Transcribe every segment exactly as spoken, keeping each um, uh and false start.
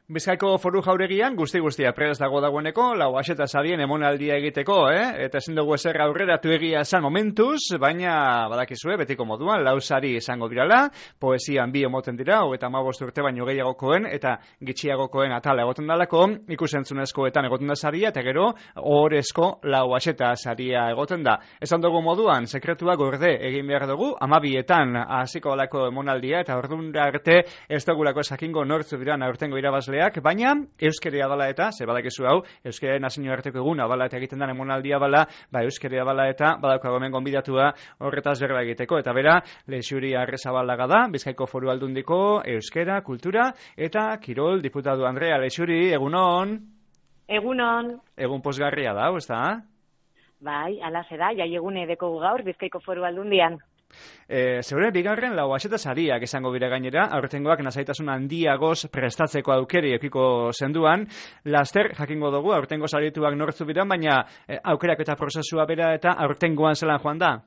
Bizkaiko Foru Jauregian guzti guztia prest dago dagoeneko, lau aseta sarien emonaldia egiteko, eh? Eta ezin dugu ezer aurreratu egia esan momentuz, baina badakizue, betiko moduan, lau sari izango dirala, poesian bi emoten dira, hogeita hamabost urte baino gehiagokoen, eta gitxiagokoen atala egoten dalako, ikusentzunezkoetan egoten da saria, eta gero, ohorezko lau aseta saria egoten da. Esan dugu moduan, sekretua gorde egin behar dugu, amabietan hasiko alako emonaldia, eta ordura arte ez dugulako esakingo nortzu dira aurtengo irabazle, baina euskeria bala eta, ze badakizu hau, euskeria nazio arteko eguna bala eta egiten den emonaldia bala, ba euskeria bala eta badaukago hemen gonbidatua horretaz berba egiteko, eta bera, Leixuri Arrezabalaga da, Bizkaiko Foru Aldundiko euskera, kultura, eta kirol diputatu Andrea. Leixuri, egunon? Egunon. Egun posgarria da, ez da? Bai, ala zeda, jai egune dekogu gaur Bizkaiko Foru Aldundian. E, Zeure, bigarren lau aseta sariak esango bire gainera, aurtengoak nazaitasun handiagoz prestatzeko aukeri ekiko zenduan, laster jakingo dugu, aurtengo sarituak nortzu biran, baina e, aukerak eta prozesua bera eta aurtengoan zelan joan da?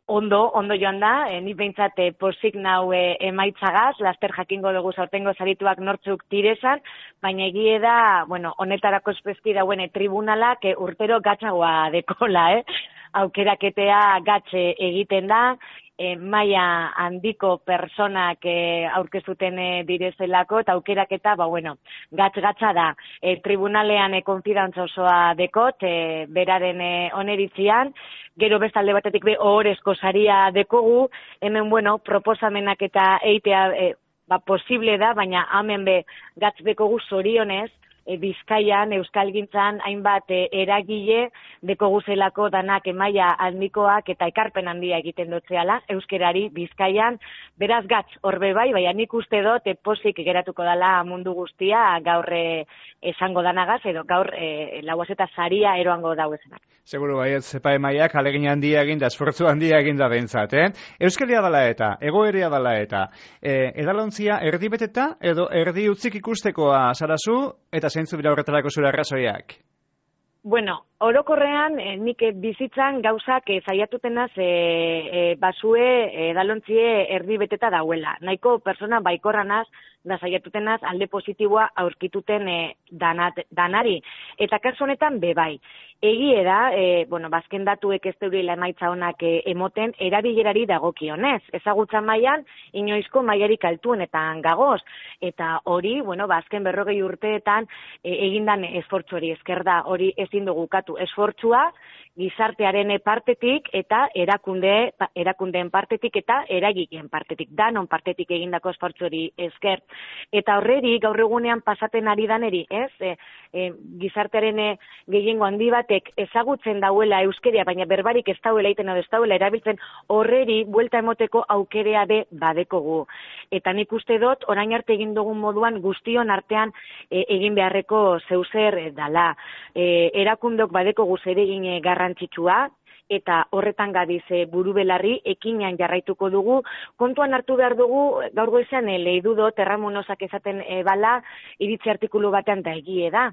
Ondo, ondo joan da, e, ni behintzat e, posik nau e, emaitzagaz, laster jakingo dugu aurtengo sarituak nortzuk tirezan, baina egie da, bueno, honetarako espeski dauen e, tribunalak e, urtero gatzagoa dekola, eh? Aukeraketea gatze egiten da, e, maila handiko personak e, aurkezuten e, direzelako, eta aukeraketa, ba, bueno, gatz-gatza da. E, tribunalean e, konfidantza osoa dekot, e, beraren e, oneritzian, gero bestalde batetik be ohorezko saria dekogu, hemen, bueno, proposamenak eta eitea e, ba, posible da, baina hemen be gatz dekogu zorionez, E, Bizkaian, Euskalgintzan, hainbat e, eragile dekoguzelako danak emaia handikoak eta ekarpen handia egiten dutzeala, euskerari Bizkaian, beraz gatz, horbe bai, baina nik uste dut, e, posik geratuko dala mundu guztia, gaur e, esango danagaz, edo gaur e, lauaz eta saria eroango dauezenak. Seguro bai, zepa emaiak alegin handia eginda, esfortzu handia eginda behintzat, eh? Euskeria dala eta, egoeria dala eta, e, edalontzia erdi beteta, edo erdi utzik ikustekoa zarazu, eta zeintzu bira horretarako zure arrazoiak? Bueno, orokorrean, eh, nik bizitzan gauzak eh, zaiatutenaz eh, eh, basue edalontzie erdi beteta dauela. Nahiko persona baikorranaz da zaiatutenaz alde positiboa aurkituten eh, danat, danari. Eta kasu honetan bebai. Egie da, e, bueno, bazken datuek ez deurila emaitza honak e, emoten, erabilerari dagokionez. Ezagutza mailan inoizko mailarik altuenetan gagoz. Eta hori, bueno, bazken berrogei urteetan e, egindan esfortzu hori esker da, hori ezin dugu katu esfortzua, gizartearen partetik eta erakunde, erakundeen partetik eta eragileen partetik, danon partetik egindako esfortzu hori esker. Eta horreri, gaur egunean pasaten ari daneri, ez? E, e, gizartearen e, gehiengo handi batek ezagutzen dauela euskeria, baina berbarik ez dauela iten edo ez dauela erabiltzen, horreri buelta emoteko aukerea be badekogu. Eta nik uste dut, orain arte egin dugun moduan guztion artean e, egin beharreko zeuzer e, dala. E, erakundok badekogu zer egin e, garrantzitsua, eta horretan gabiz e, buru belarri ekinean jarraituko dugu. Kontuan hartu behar dugu, gaur goizean e, lehi dudot, Erramonozak esaten e, bala, iritzi artikulu batean da egie da.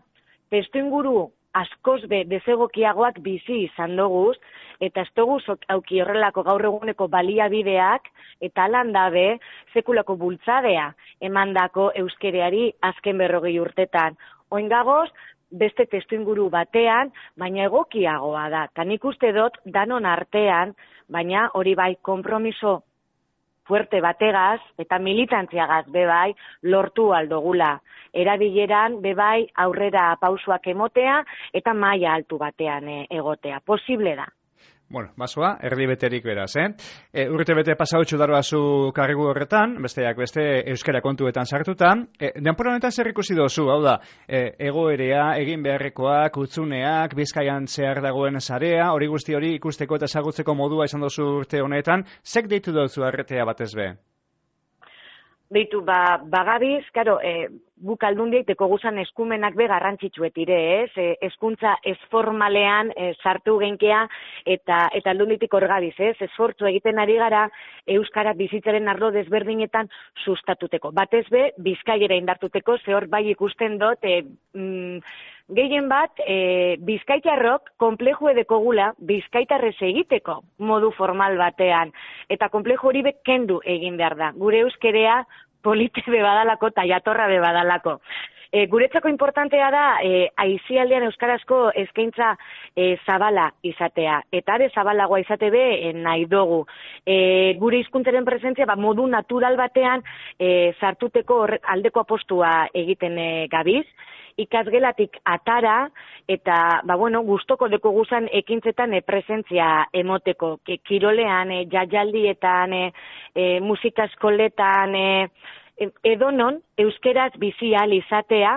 Testu inguru askoz be desegokiagoak bizi izan doguz, eta ez dugu auki horrelako gaur eguneko baliabideak, eta alan dabe sekulako bultzadea emandako euskereari azken berrogei urtetan. Oingagoz, beste testu inguru batean, baina egokiagoa da. Ta nik uste dut danon artean, baina hori bai konpromiso fuerte bategaz eta militantziagaz bebai lortu aldogula. Erabileran bebai aurrera pausuak emotea eta maila altu batean e, egotea. Posible da. Bueno, basoa, erdi beterik beraz, eh? E, urte bete pasautxu daroazu karrigu horretan, besteak beste euskara kontuetan sartutan. E, denpora honetan zer ikusi dozu, hau da, e, egoerea, egin beharrekoak, utzuneak, Bizkaian zehar dagoen sarea, hori guzti hori ikusteko eta ezagutzeko modua izan dozu urte honetan, zek deitu dozu arretea batez be? Beitu, ba, bagabiz, karo, e, guk aldundiek deko guzan eskumenak be garrantzitsuet ire, ez? E, eskuntza esformalean e, sartu genkea eta eta aldunditik hor gabiz, ez? Esfortzu egiten ari gara euskara bizitzaren arlo desberdinetan sustatuteko. Batez be, Bizkaiera indartuteko, ze hor bai ikusten dut, e, mm, gehien bat, e, bizkaitarrok konplejo edekogula bizkaitarrez egiteko modu formal batean. Eta konplejo hori be kendu egin behar da. Gure euskerea polite be badalako eta jatorra be badalako. E, guretzako importantea da e, aizialdean euskarazko eskaintza e, zabala izatea. Eta are zabalagoa izate be e, nahi dugu. E, gure hizkuntzaren presentzia ba, modu natural batean e, sartuteko horre, aldeko apostua egiten e, gabiz. Ikasgelatik atara eta ba bueno, gustoko deko guzan ekintzetan e, presentzia emoteko. Ke, kirolean, e, jaialdietan, e, e, musika eskoletan, e, edonon euskeraz bizi ahal izatea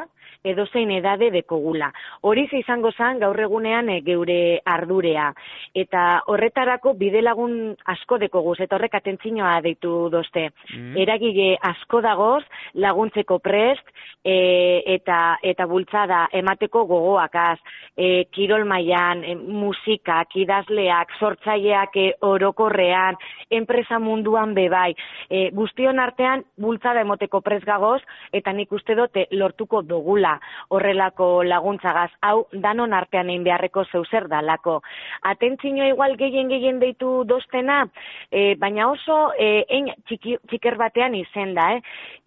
edozein edade dekogula. Hori izango zen gaur egunean e, geure ardurea. Eta horretarako bidelagun asko dekoguz, eta horrek atentzinoa deitu dozte. Mm. Eragile asko dagoz, laguntzeko prest, e, eta eta bultzada emateko gogoakaz, e, kirol mailan, e, musikak, idazleak, sortzaileak e, orokorrean, enpresa munduan bebai. E, guztion artean bultzada emoteko prest gagoz, eta nik uste dote lortuko dugula horrelako laguntzagaz, hau danon artean egin beharreko zeuzer dalako. Atentzinoa igual gehien gehien deitu doztena, e, baina oso e, ein txiki, txiker batean izen da, eh?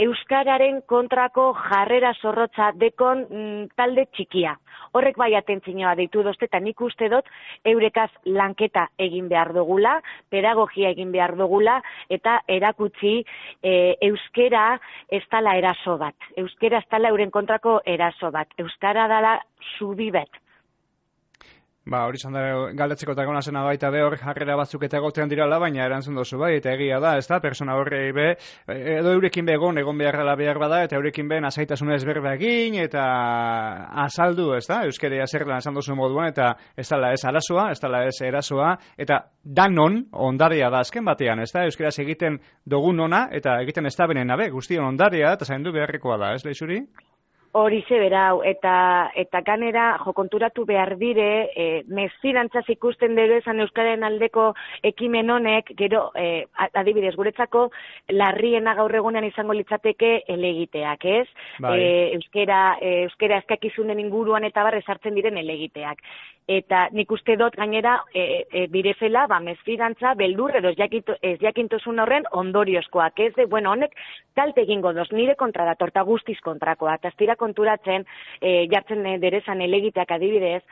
Euskararen kontrako jarrera zorrotza dekon mm, talde txikia. Horrek bai atentzinoa deitu dozte, eta nik uste dut eurekaz lanketa egin behar dugula, pedagogia egin behar dugula, eta erakutsi e, euskera ez dala eraso bat. Euskera ez dala euren kontrako eraso bat. Euskara dala zubi bet. Ba, hori zan da galdetzeko eta gona zena baita be hor jarrera batzuk eta egotean dirala, baina erantzun dozu bai, eta egia da, ez da, persona horrei be, edo eurekin be egon, egon behar dela behar bada, eta eurekin be nasaitasunez berba egin, eta azaldu, ez da, euskerea zer lan esan dozu moduan, eta ez dala ez arazoa, ez dala ez erasoa, eta danon ondarea da azken batean, ez da, euskeraz egiten dugun ona, eta egiten ez da benen nabe, guztion ondarea, eta zaindu beharrekoa da, ez lehizuri? Horixe berau, eta eta ganera jokonturatu behar dire, e, mesfidantzaz ikusten dugu esan euskararen aldeko ekimen honek, gero, e, adibidez, guretzako larriena gaur egunean izango litzateke elegiteak, ez? Bai. E, euskera, e, euskera eskakizunen inguruan eta barre sartzen diren elegiteak. Eta nik uste dut gainera e, e, direzela, ba, mesfidantza, beldur edo ez jakintosun horren ondoriozkoak, ez de, bueno, honek kalte egingo doz, nire kontra da, torta guztiz kontrakoa, eta aztira konturatzen, e, jartzen e, derezan elegiteak adibidez,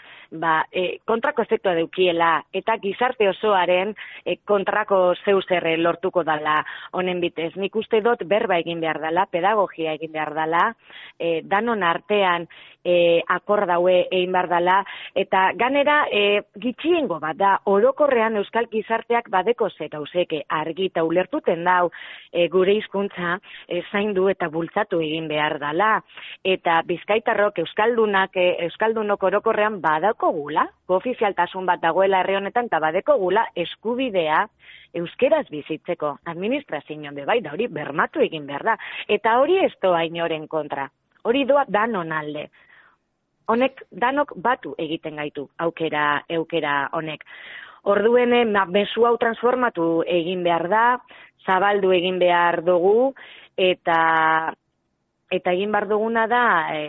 ba, e, kontrako efektua deukiela, eta gizarte osoaren e, kontrako zeuzerre lortuko dala honen bitez. Nik uste dut berba egin behar dala, pedagogia egin behar dala, e, danon artean e, akordaue egin behar dala, eta ganera e, gitxiengo bat da, orokorrean euskal gizarteak badeko ze gauzeke argi eta ulertuten dau e, gure hizkuntza e, zaindu eta bultzatu egin behar dala. Eta bizkaitarrok euskaldunak, e, euskaldunok orokorrean badako gula, ofizialtasun bat dagoela herri honetan, eta badeko gula eskubidea euskeraz bizitzeko, administrazioan bebai, da hori bermatu egin behar da. Eta hori ez doa inoren kontra, hori doa danon alde. Honek danok batu egiten gaitu, aukera, eukera honek. Orduen, mezu hau transformatu egin behar da, zabaldu egin behar dugu, eta eta egin behar duguna da,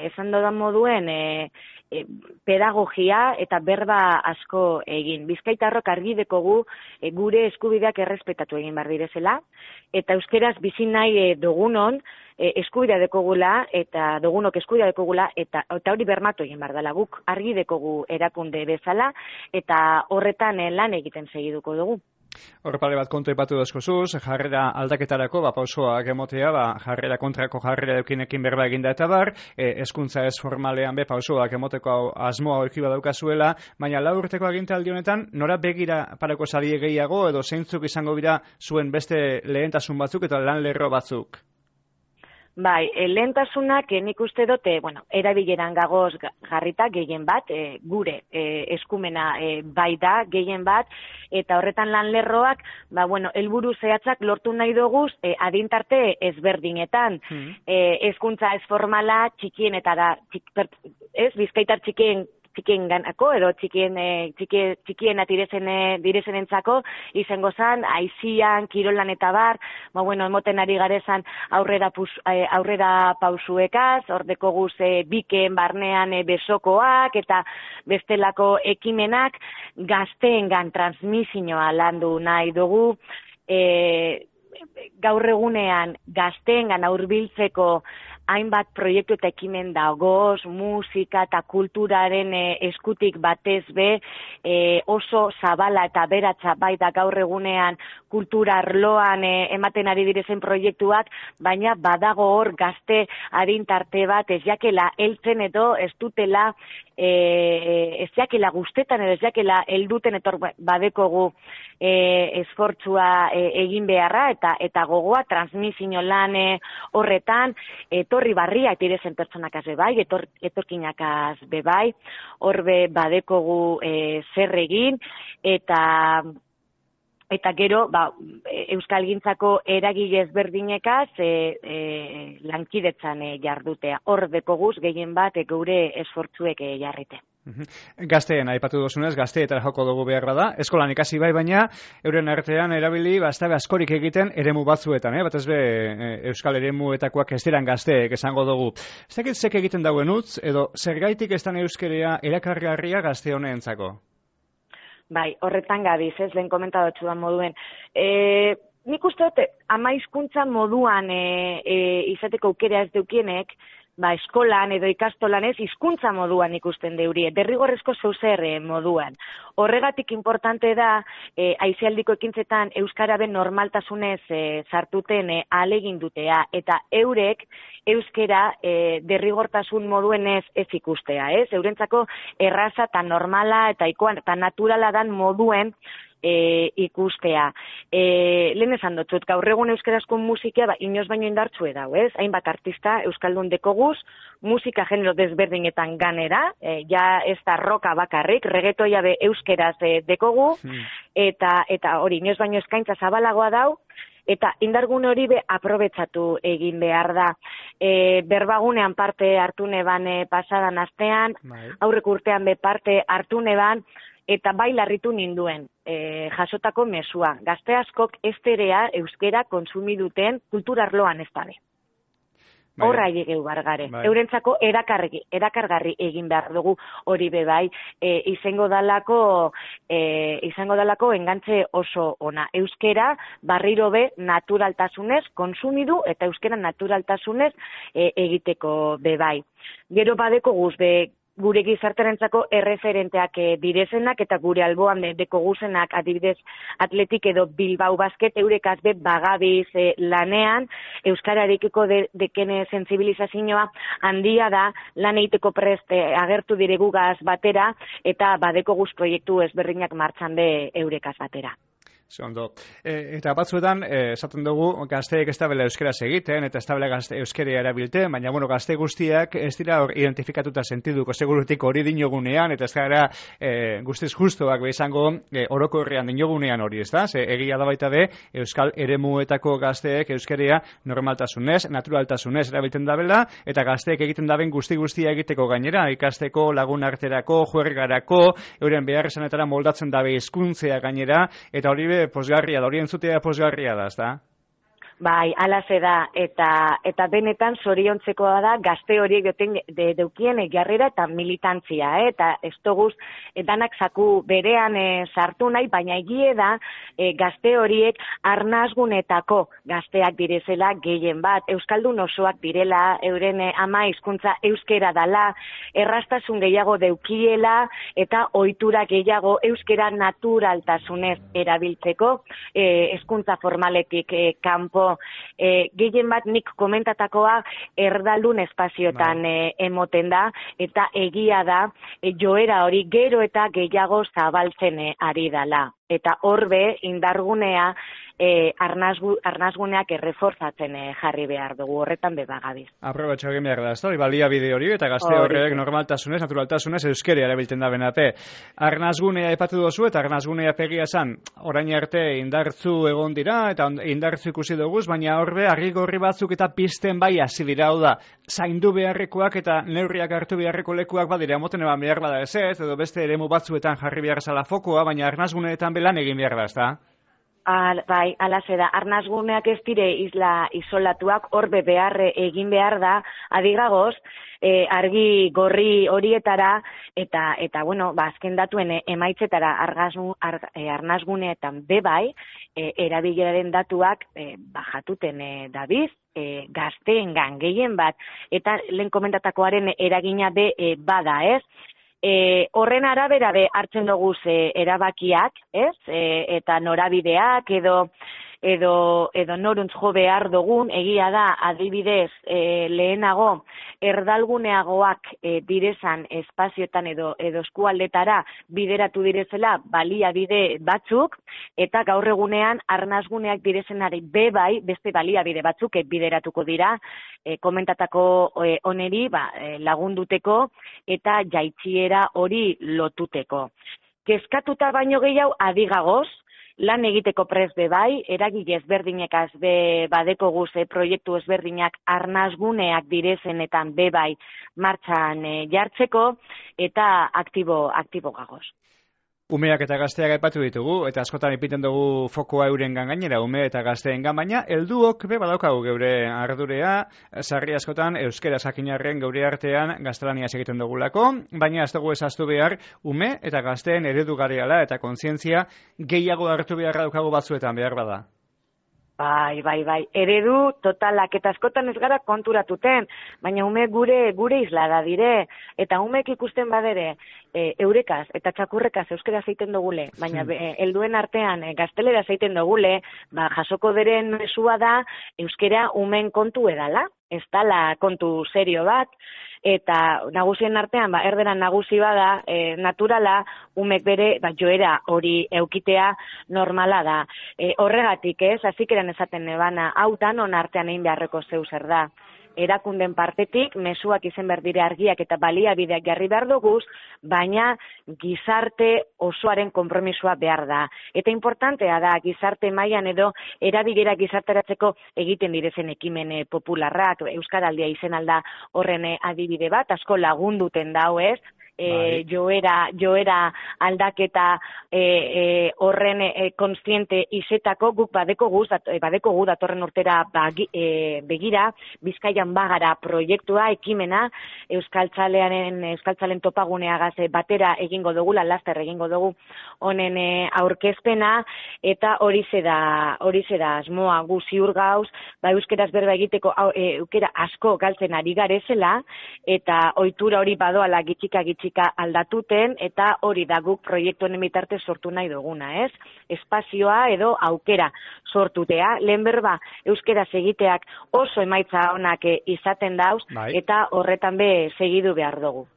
esan dodan moduen, e, e, pedagogia eta berba asko egin. Bizkaitarrok argi dekogu e, gure eskubideak errespetatu egin behar direzela, eta euskeraz bizi nahi e, dugunon, e, eskubidea dekogula, eta dugunok eskubidea dekogula, eta, eta hori bermatu egin behar dela. Guk argi dekogu erakunde bezala, eta horretan e, lan egiten segiduko dugu. Horrepare bat kontu epatu dazkozuz, jarrera aldaketarako, ba, pausoak emotea, ba, jarrera kontrako jarrera eukinekin berba eginda eta bar, e, eskuntza ez formalean be, pausoak emoteko asmoa horki badaukazuela, baina lau urteko agintaldi honetan, nora begira parako zarie gehiago, edo zeintzuk izango dira zuen beste lehentasun batzuk eta lan lerro batzuk? Bai, e, lehentasunak e, nik uste dute, bueno, erabileran gagoz jarrita gehien bat, e, gure e, eskumena e, bai da gehien bat, eta horretan lan lerroak, ba, bueno, helburu zehatzak lortu nahi doguz e, adintarte ezberdinetan. Mm. E, hezkuntza ez formala txikien eta da, txik, per, ez, bizkaitar txikien txikien ganako, edo txikien, e, txikien, txikien atirezen, diresen entzako, izango zan, aizian, kirolan eta bar, ba, bueno, emoten ari garezan aurrera, pus, aurrera pausuekaz, ordeko guz e, biken barnean e, besokoak, eta bestelako ekimenak gazteengan transmisioa landu nahi dugu, e, gaur egunean gazteengan hurbiltzeko hainbat proiektu eta ekimen dagoz, musika eta kulturaren e, eskutik batez be, e, oso zabala eta beratza bai da gaur egunean kultura arloan e, ematen ari direzen proiektuak, baina badago hor gazte adintarte bat ez jakela heltzen edo ez dutela e, ez jakela guztetan edo ez jakela helduten etor badekogu e, esfortzua e, egin beharra eta eta gogoa transmisio lan e, horretan etorri barriak direzen pertsonakaz bebai, etor, etorkinakaz bebai, horbe badekogu e, zer egin eta Eta gero, ba, euskalgintzako eragile ezberdinekaz e, e, lankidetzan e, jardutea. Hor dekoguz gehien bat e, geure esfortzuek e, jarrite. Gazteen aipatu duzunez, gazteetara joko dugu behar da. Eskolan ikasi bai, baina euren artean erabili bastabe askorik egiten eremu batzuetan, eh? Batez be euskal eremuetakoak ez diran gazteek esango dugu. Zekit zek egiten dauen utz, edo zergaitik ez dan euskerea erakargarria gazte honeentzako? Bai, horretan gabiz, ez, lehen komentadotxu da moduen. E, nik uste dut, ama hizkuntza moduan e, e, izateko aukera ez deukienek, ba, eskolan edo ikastolan ez, hizkuntza moduan ikusten deurie, derrigorrezko zeuzer e, moduan. Horregatik importante da, e, aizialdiko ekintzetan Euskaraben normaltasunez e, sartuten e, ahalegin dutea, eta eurek euskera e, derrigortasun moduenez ez ikustea, ez? Eurentzako erraza eta normala eta ikoan eta naturala dan moduen E, ikustea. E, lehen esan dutxut, gaur egun euskarazko musika ba, inoz baino indartxue dau, ez? Hainbat artista euskaldun dekoguz, musika genero desberdinetan ganera, e, ja ez da roka bakarrik, reggaetoia be euskeraz e, dekogu, hmm. eta eta hori inoz baino eskaintza zabalagoa dau, eta indargune hori be aprobetsatu egin behar da. E, berbagunean parte hartu neban e, pasadan astean, aurrek urtean be parte hartu neban, eta bai larritu ninduen e, jasotako mesua. Gazte askok ez terea euskera konsumi duten kulturarloan ez dabe. Horra egeu bargare. Bai. Eurentzako erakarri, erakargarri egin behar dugu hori be bai. E, izango dalako, e, izango dalako engantze oso ona. Euskera barriro be naturaltasunez konsumidu eta euskera naturaltasunez e, egiteko be bai. Gero badeko guz be gure gizarterentzako erreferenteak e, direzenak eta gure alboan de, deko guzenak adibidez Atletik edo Bilbao Basket eurekaz be bagabiz e, lanean euskararekiko de, dekene sensibilizazioa handia da lan egiteko preste agertu diregugaz batera eta badeko guz proiektu ezberdinak martxan be eurekaz batera. Zondo. E, eta batzuetan, e, esaten dugu, gazteek ez dabela euskeraz egiten, eta ez dabela euskeria erabilten, baina, bueno, gazte guztiak ez dira hor identifikatuta sentiduko segurutik hori dinogunean, eta ez gara e, guztiz justuak izango e, orokorrean dinogunean hori, ez da? Ze, egia da baita be, euskal eremuetako gazteek euskeria normaltasunez, naturaltasunez erabilten dabela, eta gazteek egiten daben guzti guztia egiteko gainera, ikasteko, lagun arterako, juergarako, euren behar esanetara moldatzen dabe hizkuntzea gainera, eta hori posgarria da, hori entzutea posgarria da, ez da? Bai, alaze da, eta eta benetan zoriontzekoa da gazte horiek duten de, deukien jarrera eta militantzia, eh? Eta ez toguz, danak zaku berean e, sartu nahi, baina egie da e, gazte horiek arnazgunetako gazteak direzela gehien bat, euskaldun osoak direla, euren e, ama hizkuntza euskera dala, errastasun gehiago deukiela eta ohitura gehiago euskera naturaltasunez erabiltzeko, e, hizkuntza formaletik e, kanpo. E, gehien bat nik komentatakoa erdaldun espaziotan e, emoten da, eta egia da e, joera hori gero eta gehiago zabaltzen e, ari dala. Eta horbe indargunea e, arnazgu, arnazguneak erreforzatzen e, jarri behar dugu, horretan bebagabiz. Aprobatxo egin behar da, ez da, balia bide hori, eta gazte horrek normaltasunez, naturaltasunez, euskera erabiltzen da benate. Arnazgunea epatu dozu, eta arnazgunea pegia esan, orain arte indartzu egon dira, eta indartzu ikusi duguz, baina horbe, argigorri batzuk eta pizten bai hasi dira, hau da, zaindu beharrekoak eta neurriak hartu beharreko lekuak badira, emoten eban behar bada ez ez, edo beste eremu batzuetan jarri behar zala fokoa, baina arnazguneetan belan egin behar da, ez da? Al, bai, alaze da, arnazguneak ez dire isla isolatuak, horbe beharre egin behar da, adigagoz, e, argi gorri horietara, eta, eta bueno, ba, azken datuen emaitzetara argazmu, ar, e, arnazguneetan bebai, e, erabileraren datuak e, bajatuten e, dabiz, e, gazteengan gehien bat, eta lehen komentatakoaren eragina be e, bada, ez? E, horren arabera be hartzen dugu ze erabakiak, ez? E, eta norabideak edo edo edo noruntz jo behar dugun, egia da adibidez e, lehenago erdalguneagoak e, direzan espazioetan edo edo eskualdetara bideratu direzela baliabide batzuk, eta gaur egunean arnazguneak direzenari bebai beste baliabide batzuk e, bideratuko dira e, komentatako e, oneri ba, e, lagunduteko eta jaitxiera hori lotuteko. Kezkatuta baino gehiago adigagoz, lan egiteko prest be bai, eragile ezberdinekaz be badeko guze proiektu ezberdinak arnazguneak direzenetan be bai martxan e, jartzeko eta aktibo, aktibo gagoz. Umeak eta gazteak aipatu ditugu, eta askotan ipiten dugu fokoa eurengan gainera, ume eta gazteengan, baina helduok be badaukagu geure ardurea, sarri askotan euskera sakinarren geure artean gaztelaniaz egiten dugulako, baina ez dugu ezaztu behar ume eta gazteen eredugarriala eta kontzientzia gehiago hartu beharra daukagu batzuetan behar bada. Bai, bai, bai, eredu totalak, eta askotan ez gara konturatuten, baina ume gure gure isla da dire, eta umek ikusten badere, e, eurekaz eta txakurrekaz euskera zeiten dugule, baina hmm. e, helduen artean e, gaztelera zeiten dugule, ba, jasoko deren mesua da euskera umen kontu edala, ez dala kontu serio bat, eta nagusien artean, ba, erderan nagusi bada, e, naturala, umek bere, ba, joera hori eukitea normala da. E, horregatik ez, azikeran esaten nebana, hautan on artean egin beharreko zeu zer da. Erakunden partetik, mezuak izen behar dire argiak eta baliabideak jarri behar duguz, baina gizarte osoaren konpromisua behar da. Eta importantea da, gizarte mailan edo erabilera gizarteratzeko egiten direzen ekimen popularrak, Euskaraldia izen alda horren adibide bat, asko lagunduten dau ez, E, joera, joera aldaketa e, e, horren e, konstiente izetako guk badeko guz, dat, badeko gu datorren urtera bagi, e, begira, Bizkaian bagara proiektua, ekimena, Euskaltzalearen, Euskaltzalen topaguneagaz batera egingo dugula, laster egingo dugu honen e, aurkezpena, eta hori da hori da asmoa gu ziur gauz, ba, euskeraz berba egiteko e, eukera asko galtzen ari garezela, eta ohitura hori badoala gitxika gitxika aldatuten, eta hori da guk proiektu honen bitartez sortu nahi duguna, ez? Espazioa edo aukera sortutea, lehen berba euskeraz egiteak oso emaitza onak izaten dauz, bai. Eta horretan be segidu behar dugu.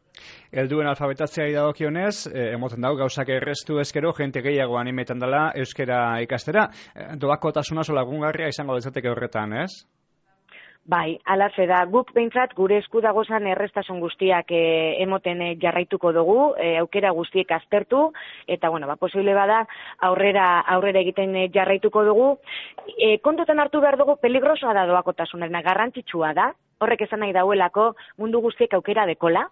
Helduen alfabetatzeari dagokionez, eh, emoten dago gauzak errestu ezkero, jente gehiago animetan dela euskera ikastera. Doakotasuna oso lagungarria izango dezateke horretan, ez? Bai, alaze da, guk behintzat gure esku dagozan errestasun guztiak e, emoten e, jarraituko dugu, e, aukera guztiek aztertu, eta bueno, ba, posible bada aurrera aurrera egiten e, jarraituko dugu. E, kontutan hartu behar dugu peligrosoa da doakotasunarena, garrantzitsua da, horrek esan nahi dauelako mundu guztiek aukera dekola,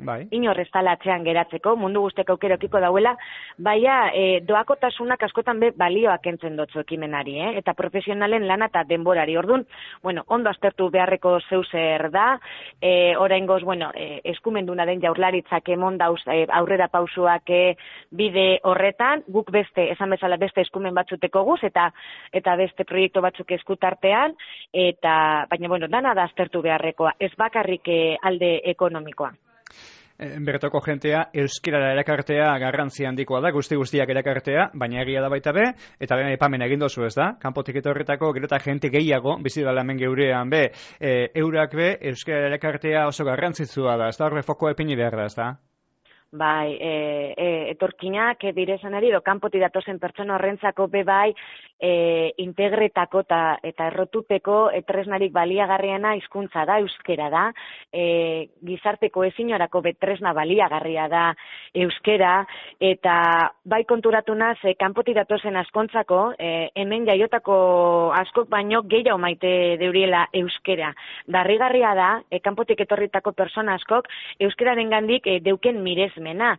bai. Inor ez dala atzean geratzeko, mundu guztiak aukera okiko dauela, baina e, doakotasunak askotan be balioak entzen dotzu ekimenari, eh? Eta profesionalen lana eta denborari. Ordun, bueno, ondo aztertu beharreko zeuzer da, e, oraingoz, bueno, e, eskumenduna den jaurlaritzak emon dauz e, aurrera pausuak e, bide horretan, guk beste, esan bezala beste eskumen batzuteko guz, eta eta beste proiektu batzuk eskutartean, eta, baina, bueno, dana da aztertu beharrekoa, ez bakarrik e, alde ekonomikoa. Bertoko jentea euskerara erakartea garrantzi handikoa da, guzti guztiak erakartea, baina egia da baita be, eta lehen aipamen egin dozu, ez da? Kanpotik etorretako gero eta jente gehiago, bizi dela hemen geurean be, e, eurak be, euskerara erakartea oso garrantzitsua da, ez da? Horre fokoa epini behar da, ez da? Bai, e, e, etorkinak direzan edo kanpoti datozen pertsona horrentzako be bai, e, integretako ta, eta errotuteko tresnarik baliagarriena hizkuntza da, euskera da, e, gizarteko ezinorako betresna baliagarria da euskera, eta bai konturatu naz, e, kanpotik datozen askontzako, e, hemen jaiotako askok baino gehiago maite deuriela euskera. Darrigarria da, e, kanpotik etorritako persona askok euskeraren gandik e, deuken miresmena.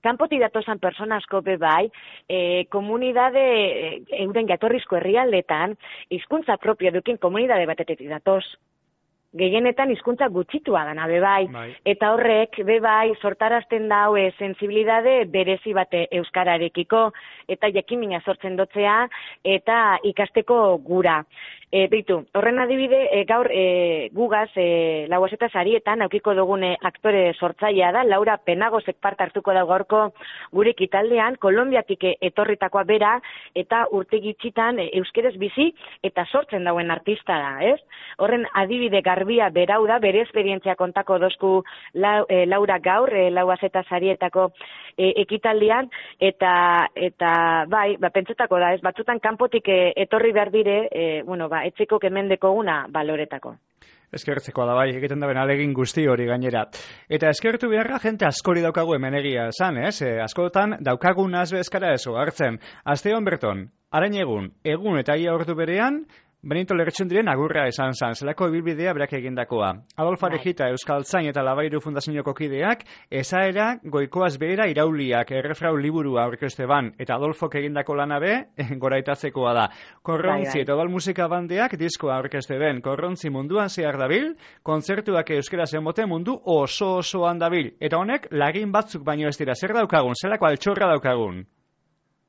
Kanpotik datozen persona asko be bai, e, komunidade, e, euren jatorrizko herrialdetan, hizkuntza propio dukin komunidade batetik datoz. Gehienetan hizkuntza gutxitua dana be bai, bai. Eta horrek be bai sortarazten dau e, sensibilidade berezi bate euskararekiko, eta jakimina sortzen dotzea, eta ikasteko gura. E, Beitu, horren adibide, e, gaur e, gugaz, e, lauazeta sarietan, aukiko dugune aktore sortzailea da, Laura Penagosek parte hartuko da gaurko gure ekitaldean, Kolonbiatik etorritakoa bera, eta urte gitxitan e, euskeres bizi, eta sortzen dauen artista da, ez? Horren adibide garbia berau da, bere esperientzia kontako dozku la, e, Laura gaur, e, lauazeta sarietako e, ekitaldean, eta, eta bai, ba, pentsetako da, ez? Batzutan kanpotik e, etorri behar dire, e, bueno, ba, etzeko kemendeko una baloretako. Eskertzeko da bai, egiten da ben alegin guzti hori gainera. Eta eskertu beharra jente askori daukagu hemen egia esan, ez? E, askotan daukagun azbe eskara eso hartzen. Asteon berton, arain egun, egun eta ia ordu berean, Benito Lertxundiren agurra esan zan, zelako ibilbidea berak egindakoa. Adolfo Arejita Euskaltzain eta Labairu Fundazioko kideak, esaera goikoaz behera irauliak errefrau liburua aurkezte ban, eta Adolfok egindako lana be, goraitazkoa da. Korrontzi eta odol musika bandeak diskoa aurkezte ben, korrontzi munduan zehar dabil, kontzertuak euskaraz emote mundu oso osoan dabil. Eta honek, lagin batzuk baino ez dira, zer daukagun, zelako altxorra daukagun?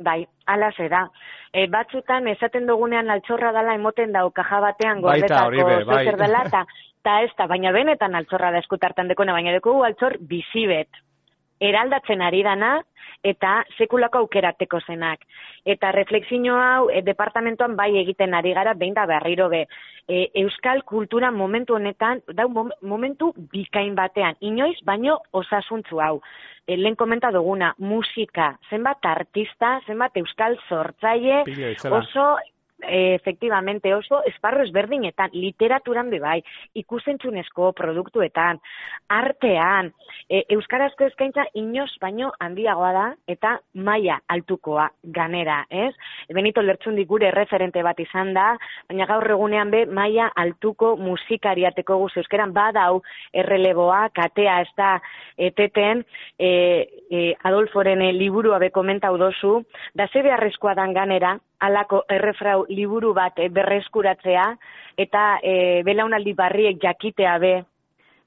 Bai, ala zera. E, batzutan esaten dugunean altxorra dela emoten dau kaja batean gordetako zozer dela, eta ta ez da, baina benetan altxorra da eskutartan dekona, baina dekugu altxor bizibet. Eraldatzen ari dana, eta sekulako aukerateko zenak. Eta reflexio hau e, departamentoan bai egiten ari gara, behin da berriro be. E, euskal kultura momentu honetan, dau momentu bikain batean, inoiz baino osasuntzu hau. E, lehen komenta duguna, musika, zenbat artista, zenbat euskal sortzaile, oso... E, efectivamente, oso esparro ezberdinetan, literaturan bebai, ikusentzunezko produktuetan, artean, e, euskarazko eskaintza inoz baino handiagoa da eta maila altukoa ganera, ez? Benito Lertxundi gure referente bat izan da, baina gaur egunean be maila altuko musikariateko guz euskeran badau erreleboa, katea ez da eteten, e, e, Adolforen e, liburua be komentau dozu, da ze beharrezkoa dan ganera, alako errefrau liburu bat e, berreskuratzea, eta e, belaunaldi barriek jakitea be,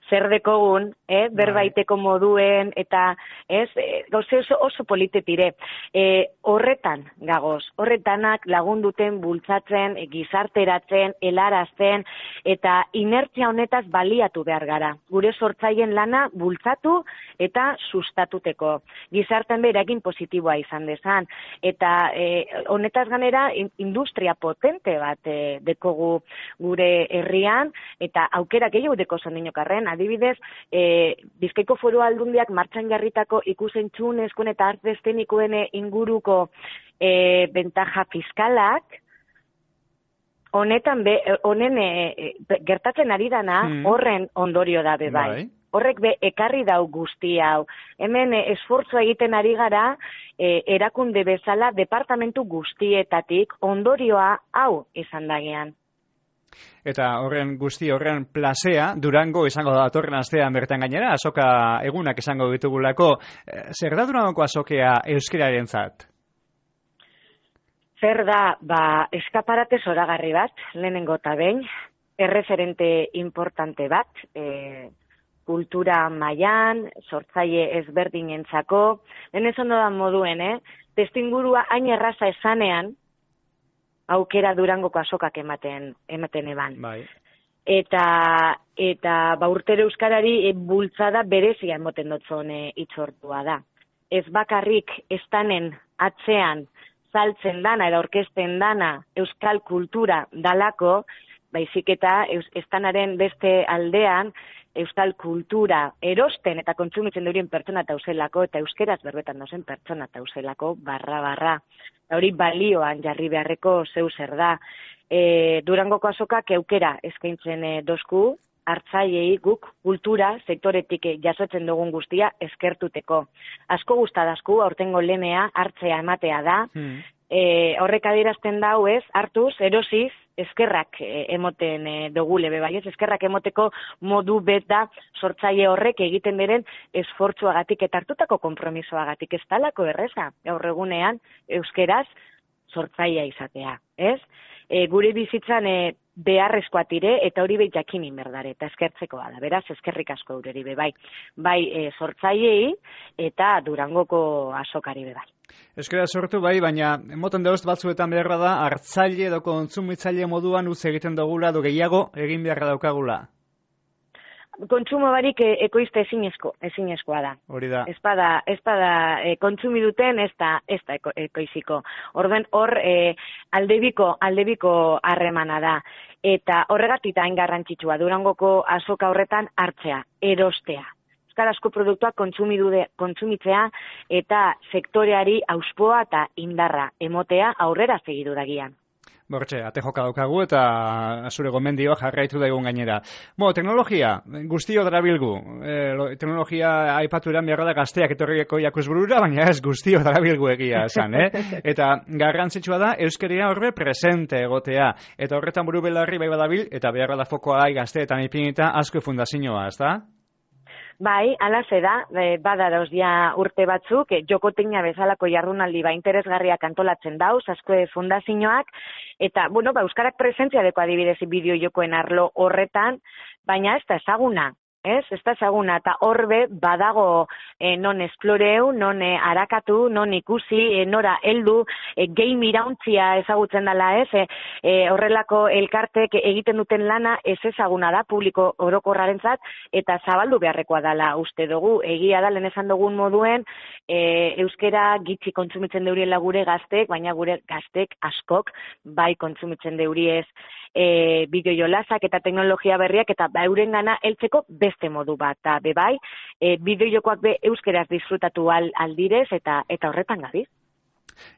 zer dekogun, eh, berbaiteko moduen, eta ez, e, gauze oso, oso politetire. E, horretan, gagoz, horretanak lagunduten, bultzatzen, e, gizarteratzen, helarazten, eta inertzia honetaz baliatu behar gara. Gure sortzaien lana bultzatu eta sustatuteko. Gizarten beragin positiboa izan dezan. Eta e, honetaz ganera, industria potente bat e, dekogu gure herrian, eta aukera gehiago deko zondinokarren, adibidez, e, Bizkaiko Foru Aldundiak martxan jarritako ikusentzunezkoen eta arte eszenikoen inguruko e, bentaja fiskalak, honetan be, honen e, gertatzen ari dana hmm. horren ondorio da be bai. bai. Horrek be ekarri dau guzti hau. Hemen e, esfortzua egiten ari gara e, erakunde bezala departamentu guztietatik ondorioa hau izan dagean. Eta horren guzti horren plasea, Durango izango da datorren astean bertan gainera, azoka egunak izango ditugulako. Zer da Durangoko azokea euskararen zat? Zer da, ba, eskaparate zoragarri bat, lehenengo eta behin, erreferente importante bat, e, kultura mailan, sortzaile ezberdinentzako, denez ondo da moduen, eh? Testingurua hain erraza esanean, aukera Durangoko azokak ematen ematen eban. Bai. Eta eta ba urtero euskarari e, bultzada berezia emoten dotzon e, itzortua da. Ez bakarrik estanen atzean saltzen dana edo orkesten dana euskal kultura dalako, baizik eta estanaren beste aldean euskal kultura erosten eta kontsumitzen durien pertsona tauzelako, eta euskeraz berbetan dozen pertsona tauzelako, barra, barra. Hori balioan jarri beharreko zeu zer da. E, Durangoko azokak eukera eskaintzen e, dozku, hartzaiei guk kultura sektoretik jasotzen dugun guztia eskertuteko. Asko gustadazku, aurtengo lemea hartzea ematea da, hmm. e, horrek adierazten dau ez, hartuz, erosiz, eskerrak e, emoten e, dogule be bai, ez eskerrak emoteko modu bet da sortzaile horrek egiten diren esfortzuagatik eta hartutako konpromisoagatik, ez talako erreza, gaur egunean euskeraz sortzailea izatea, ez? E, gure bizitzan e, beharrezkoa tire eta hori behin jakinin berdare eta eskertzekoa da, beraz eskerrik asko eureri be bai, bai e, sortzailei eta Durangoko azokari be bai. Euskara sortu bai, baina moten dauz batzuetan beharra da hartzaile edo kontsumitzaile moduan utz egiten dugula edo gehiago egin beharra daukagula. Kontsumo barik e, ekoizte ezinezko, ezinezkoa da. Hori da. Espada, espada e, kontsumi duten ez da, ez da eko, ekoiziko. Orden hor e, aldebiko, aldebiko harremana da. Eta horregatik hain garrantzitsua Durangoko azoka horretan hartzea, erostea. Euskarazko produktuak kontsumitzea eta sektoreari auspoa eta indarra emotea aurrera segidu dagian. Bortxe, ate joka daukagu eta zure gomendioa jarraitu daigun gainera. Bo, teknologia, guztio darabilgu. E, teknologia aipatu eran beharra da gazteak etorrieko jakuzburura, baina ez guztio darabilgu egia esan, eh? Eta garrantzitsua da euskeria horre presente egotea. Eta horretan buru belarri bai badabil, eta beharra da fokoa gai gazteetan ipinita asko fundazioa, ez da? Bai, alaze da, bada dauz ja urte batzuk, jokoteina bezalako jardunaldi ba interesgarriak antolatzen dauz, asko fundazioak, eta, bueno, ba, euskarak presentzia deko adibidez bideo jokoen arlo horretan, baina ez da ezaguna. Ez, ez da ezaguna, eta horbe badago e, non esploreu, non e, arakatu, non ikusi, e, nora heldu, e, game irauntzia ezagutzen dela ez, e, e, horrelako elkartek egiten duten lana ez ezaguna da publiko orokorrarentzat eta zabaldu beharrekoa dela uste dugu, egia da lehen esan dugun moduen, e, euskera gitxi kontsumitzen deuriela gure gaztek, baina gure gaztek askok bai kontsumitzen deuriez e, bideo jolasak eta teknologia berriak eta ba, euren gana heltzeko beste modu bat, eta bebai, e, bideojokoak be euskeraz disfrutatu al, aldirez eta eta horretan gabiz.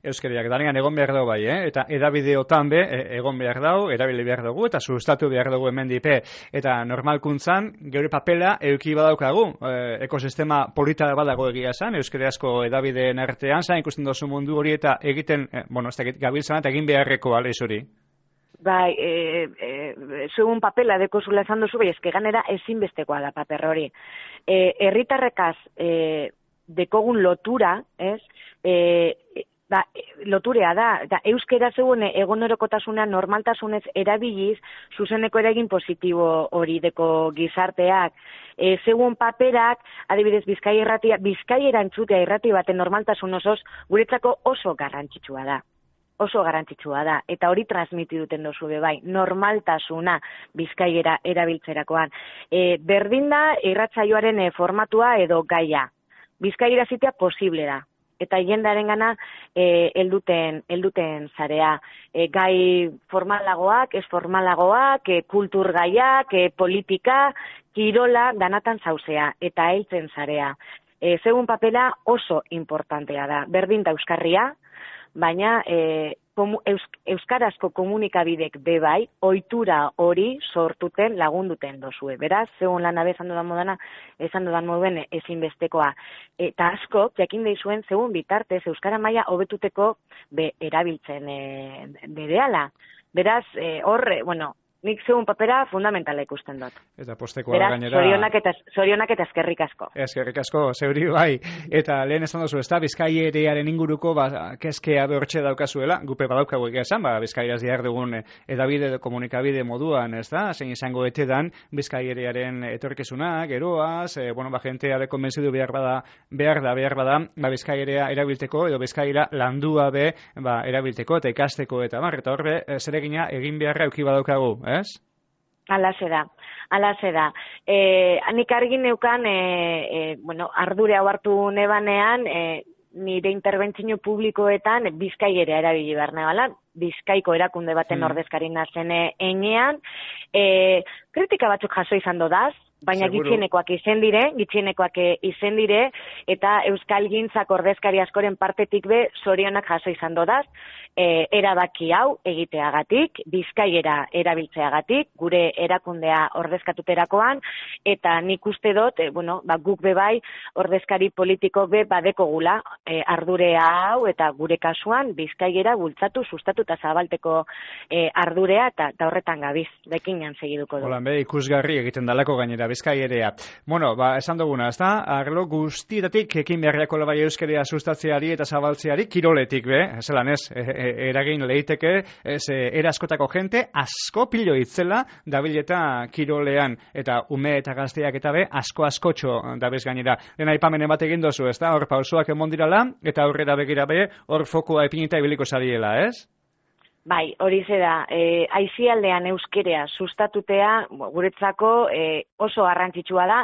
Euskariak danean egon behar dugu bai, eh? Eta edabideotan be egon behar dugu, erabili behar dugu, eta sustatu behar dugu hemen dipe. Eta normalkuntzan, geure papela euki badaukagu, e, ekosistema polita badago egia esan, euskariazko edabideen artean, zain ikusten dozu mundu hori eta egiten, e, bueno, ez da gabiltzan eta egin beharreko alez hori. Bai, e, e, zugun papela dekozula esan duzu, bai, ezke ganera ezinbestekoa da paper hori. E, herritarrekaz e, dekogun lotura, ez, e, ba, loturea da, da euskera zegoen egonerokotasuna normaltasunez erabiliz, zuzeneko eragin positibo hori deko gizarteak. E, zegoen paperak, adibidez, Bizkai irratia, Bizkai erantzutea irrati baten normaltasun osoz, guretzako oso garrantzitsua da. Oso garrantzitsua da, eta hori transmiti duten dozu be bai, normaltasuna Bizkaiera erabiltzerakoan. E, berdin da irratsaioaren e, formatua edo gaia. Bizkaiera zitea posible da, eta jendearen gana e, elduten, elduten zarea. E, gai formalagoak, ez formalagoak, e, kultur gaiak, e, politika, kirola, danatan zauzea, eta heltzen zarea. E, zegun papela oso importantea da, berdin da euskarria, baina e, komu, eus, euskarazko komunikabidek bebai, ohitura hori sortuten lagunduten dozue. Beraz, zegoen lan abe esan dudan modana, esan dudan moduen ezinbestekoa. Eta asko, jakin deizuen, zegoen bitartez, euskara maila hobetuteko be erabiltzen e, berehala. Beraz, e, horre, bueno, nik zegoen papera fundamentala ikusten dut. Eta postekoa gainera. Beraz, zorionak eta, zorionak eta eskerrik asko. Eskerrik asko, zeuri bai. Eta lehen esan duzu, ez da, Bizkaierearen inguruko, ba, keskea behortxe daukazuela, gupe badaukagu egia esan, ba, Bizkaiaz diar dugun edabide, komunikabide moduan, ez da, zein izango etedan, Bizkaierearen etorkezuna, geroaz, e, bueno, ba, jentea de konbentzidu behar bada, behar da, behar bada, ba, Bizkaierea erabilteko, edo Bizkaiera landua be, ba, erabilteko, eta ikasteko, eta bar, eta horre, zeregina egin beharra euki badaukagu, ez? Alaze da, alaze da. E, nik argi neukan, e, e, bueno, ardure hau hartu nebanean, e, nire interbentzio publikoetan Bizkaiera erabili behar nebala, Bizkaiko erakunde baten hmm. ordezkari nazen enean, e, kritika batzuk jaso izan dodaz, baina Seguro. gitxienekoak izen dire, gitxienekoak izen dire, eta Euskal Gintzak ordezkari askoren partetik be, zorionak jaso izan dodaz, e, erabaki hau egiteagatik, Bizkaiera erabiltzeagatik, gure erakundea ordezkatuterakoan, eta nik uste dut, e, bueno, ba, guk be bai, ordezkari politiko be badekogula e, ardurea hau, eta gure kasuan Bizkaiera bultzatu, sustatu eta zabalteko e, ardurea, eta, eta horretan gabiz, dekinan segiduko du. Holan be, ikusgarri egiten dalako gainera Bizkaierea. Bueno, ba, esan duguna, ez da, arlo guztietatik ekin beharriako labai euskeria sustatzeari eta zabaltzeari kiroletik be, zelan ez, e, e, eragin lehiteke, ez, e, eraskotako jente, asko pilo itzela dabileta kirolean, eta ume eta gazteak eta be, asko askotxo dabez gainera. Lehen aipamenen bat egin dozu, ez da, hor pausoak emondirala, eta aurrera begira be, hor fokua epinita ibiliko zariela, ez? Bai, hori ze da, e, aizialdean euskerea sustatutea guretzako e, oso garrantzitsua da,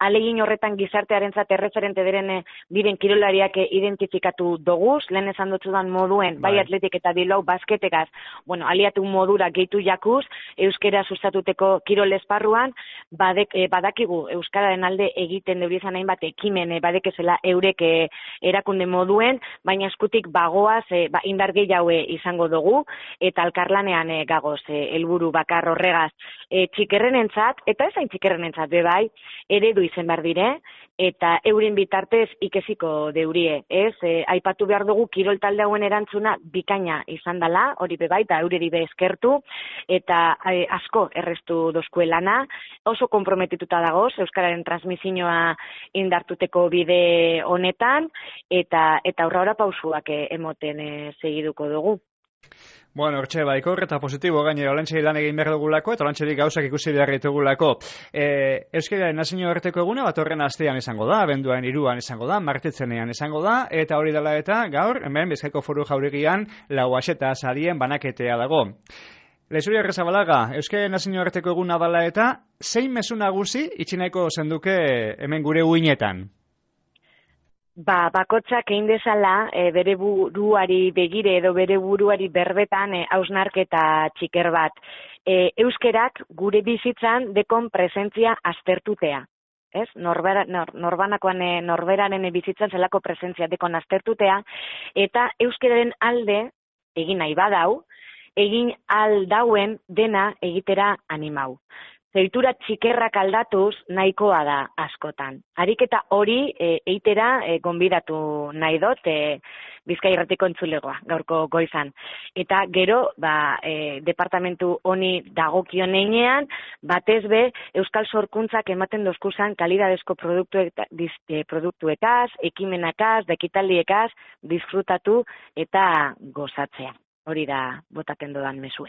alegin horretan gizartearentzat erreferente diren diren kirolariak identifikatu doguz, lehen esan dutzudan moduen, bai, bai atletik eta bilau basketekaz, bueno, aliatu modura gehitu jakuz, euskera sustatuteko kirol esparruan, badek, e, badakigu euskararen alde egiten deurizan hainbat ekimen, e, badekezela eurek e, erakunde moduen, baina eskutik bagoaz, e, ba, indar gehiago izango dugu, eta alkarlanean e, gagoz, e, helburu bakar horregaz e, txikerrenentzat, eta ezain txikerrenentzat be bai, eredu izen behar dire, eta eurin bitartez ikesiko deurie, ez? E, aipatu behar dugu kirol talde hauen erantzuna bikaina izan dela, hori be bai, eta eureri be eskertu, eta e, asko errestu dozkuelana, oso komprometituta dagoz, euskararen transmisioa indartuteko bide honetan, eta eta aurra pausuak e, emoten e, segiduko dugu. Bueno, hortxe, baiko eta positibo gainera, olantxeri lan egin behar dugulako, eta olantxeri gauzak ikusi behar ditugulako. E, Euskariaren nazio horreteko eguna, bat horren astean izango da, abenduaren hiruan izango da, martitzenean izango da, eta hori dela eta gaur, hemen, Bizkaiko Foru Jauregian, Lauaxeta sarien banaketea dago. Lezuri Arrezabalaga, Euskariaren nazio horreteko eguna dela eta, zein mezu nagusi itxineko zenduke hemen gure uinetan? Ba, bakotsak egin dezala, e, bere buruari begire edo bere buruari berbetan e, hausnarketa txiker bat. E, euskerak gure bizitzan dekon presentzia aztertutea. Ez? Norbera, nor, norbanakoan e, norberaren bizitzan zelako presentzia dekon aztertutea, eta euskeraren alde egin nahi badau, egin aldauen dena egitera animau. Zeitura txikerrak aldatuz nahikoa da askotan. Ariketa hori e, eitera e, gonbidatu nahi dut e, Bizkai Irratiko entzulegoa, gaurko goizan. Eta gero, ba, e, departamentu honi dagokion einean, batez be, Euskal Sorkuntzak ematen dozkuzan kalidadezko produktueta, e, produktuekaz, ekimenakaz, dekitaldiekaz, disfrutatu eta gozatzea. Hori da botaten dodan mesue.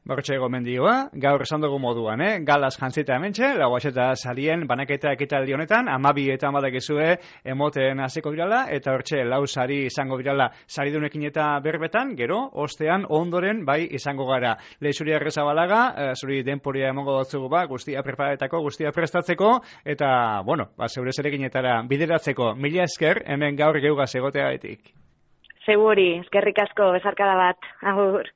Bortxe gomendioa, gaur esan dugu moduan, eh? Galaz jantzita hementxe, Lauaxeta sarien banaketa ekitaldi honetan, amabi eta amadakizue emoten hasiko birala, eta hortxe lau sari izango birala saridunekin eta berbetan, gero, ostean ondoren bai izango gara. Leixuri Arrezabalaga, eh, zuri denporia emongo dutzugu ba, guztia preparatako, guztia prestatzeko, eta, bueno, ba, zeure zerekinetara bideratzeko. Mila esker, hemen gaur geugaz egoteagatik. Seguri, eskerrik asko, bezarkada bat, agur.